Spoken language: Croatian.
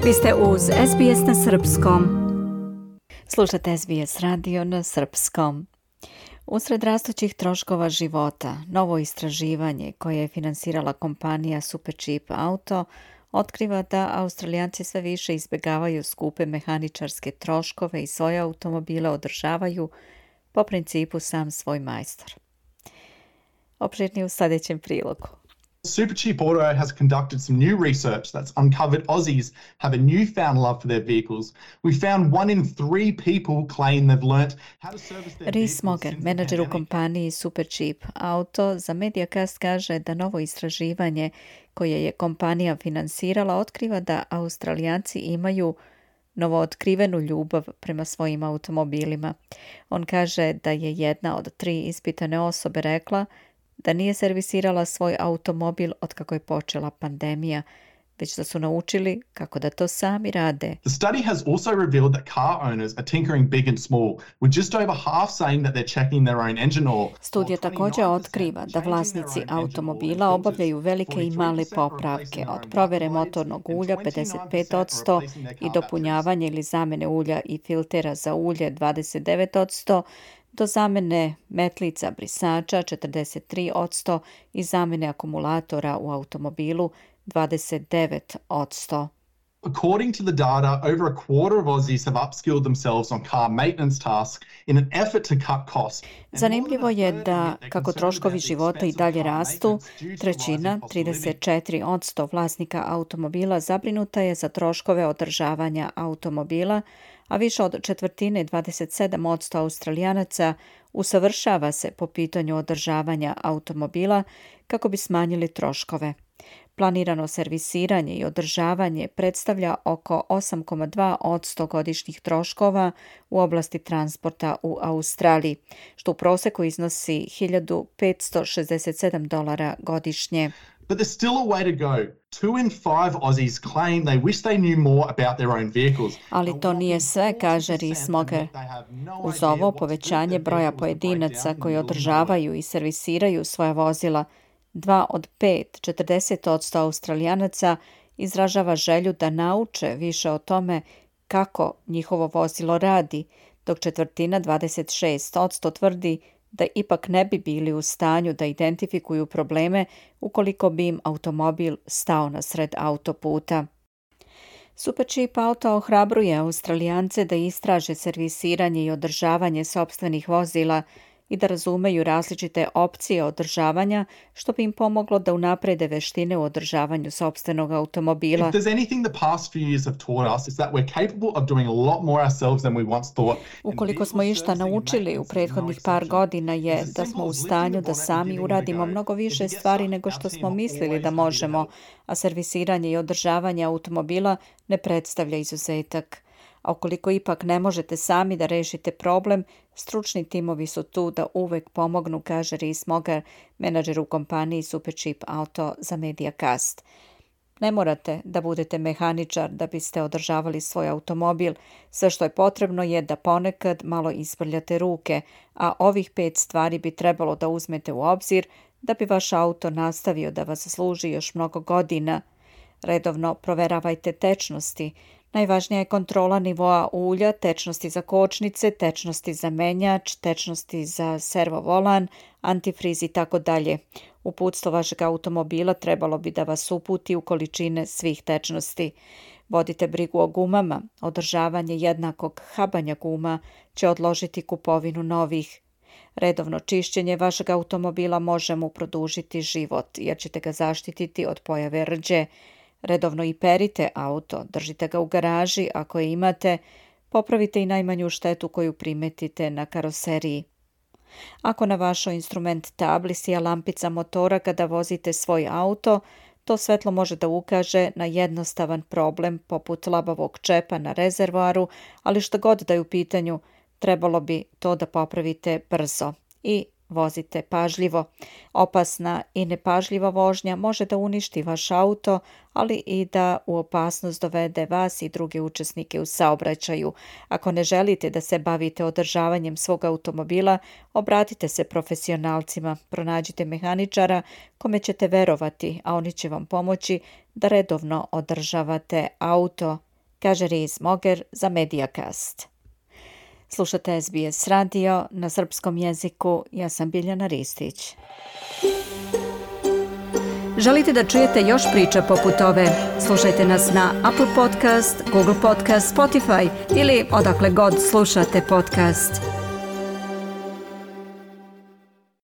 Vi ste uz SBS na srpskom. Slušate SBS radio na srpskom. Usred rastućih troškova života, novo istraživanje koje je finansirala kompanija Supercheap Auto otkriva da Australijanci sve više izbjegavaju skupe mehaničarske troškove i svoje automobile održavaju po principu sam svoj majstor. Opširnije u sljedećem prilogu. Supercheap Auto has conducted some new research that's uncovered Aussies have a newfound love for their vehicles. We found 1 in 3 people claim they've learnt how to service their vehicles. Rhys Mogan, menadžer u kompaniji Supercheap Auto, za Mediacast kaže da novo istraživanje koje je kompanija finansirala otkriva da Australijanci imaju novootkrivenu ljubav prema svojim automobilima. On kaže da je jedna od 3 ispitane osobe rekla da nije servisirala svoj automobil otkako je počela pandemija, već da su naučili kako da to sami rade. The study has also revealed that car owners are tinkering big and small, with just over half saying that they're checking their own engine oil. Studija također otkriva da vlasnici automobila obavljaju velike i male popravke, od provjere motornog ulja 55% i dopunjavanje ili zamjene ulja i filtera za ulje 29%, do zamjene metlica brisača 43% i zamjene akumulatora u automobilu 29%. According to the data, over a quarter of Aussies have upskilled themselves on car maintenance tasks in an effort to cut costs. Zanimljivo je da, kako troškovi života i dalje rastu, trećina, 34% vlasnika automobila zabrinuta je za troškove održavanja automobila, a više od četvrtine, 27% Australijanaca, usavršava se po pitanju održavanja automobila kako bi smanjili troškove. Planirano servisiranje i održavanje predstavlja oko 8,2% godišnjih troškova u oblasti transporta u Australiji, što u prosjeku iznosi $1.567 godišnje. But there's still a way to go. 2 in 5 Aussies claim they wish they knew more about their own vehicles. Ali to nije sve, kaže Rhys Mogan. Uz ovo povećanje broja pojedinaca koji održavaju i servisiraju svoja vozila, 2 od 5, 40% Australijanaca izražava želju da nauče više o tome kako njihovo vozilo radi, dok četvrtina, 26%, tvrdi da ipak ne bi bili u stanju da identifikuju probleme ukoliko bi im automobil stao na sred autoputa. Supercheap Auto ohrabruje Australijance da istraže servisiranje i održavanje sopstvenih vozila i da razumeju različite opcije održavanja, što bi im pomoglo da unaprede veštine u održavanju sopstvenog automobila. If there's anything the past few years have taught us, is that we're capable of doing a lot more ourselves than we once thought. Ukoliko smo išta naučili u prethodnih par godina je da smo u stanju da sami uradimo mnogo više stvari nego što smo mislili da možemo, a servisiranje i održavanje automobila ne predstavlja izuzetak. A ukoliko ipak ne možete sami da rešite problem, stručni timovi su tu da uvek pomognu, kaže Rhys Mogan, menadžer u kompaniji Supercheap Auto, za Mediacast. Ne morate da budete mehaničar da biste održavali svoj automobil. Sve što je potrebno je da ponekad malo isprljate ruke, a ovih 5 stvari bi trebalo da uzmete u obzir da bi vaš auto nastavio da vas služi još mnogo godina. Redovno proveravajte tečnosti. Najvažnija je kontrola nivoa ulja, tečnosti za kočnice, tečnosti za menjač, tečnosti za servo volan, antifriz i tako dalje. Uputstvo vašeg automobila trebalo bi da vas uputi u količine svih tečnosti. Vodite brigu o gumama. Održavanje jednakog habanja guma će odložiti kupovinu novih. Redovno čišćenje vašeg automobila može mu produžiti život, jer ćete ga zaštititi od pojave rđe. Redovno i perite auto, držite ga u garaži ako je imate, popravite i najmanju štetu koju primetite na karoseriji. Ako na vašoj instrument tabli sija lampica motora kada vozite svoj auto, to svetlo može da ukaže na jednostavan problem poput labavog čepa na rezervoaru, ali što god da je u pitanju, trebalo bi to da popravite brzo i vozite pažljivo. Opasna i nepažljiva vožnja može da uništi vaš auto, ali i da u opasnost dovede vas i druge učesnike u saobraćaju. Ako ne želite da se bavite održavanjem svog automobila, obratite se profesionalcima, pronađite mehaničara kome ćete verovati, a oni će vam pomoći da redovno održavate auto. kaže Riz Moger za Mediacast. Slušate SBS radio na srpskom jeziku, ja sam Biljana Ristić. Želite da čujete još priča poput ove? Slušajte nas na Apple Podcast, Google Podcast, Spotify ili odakle god slušate podcast.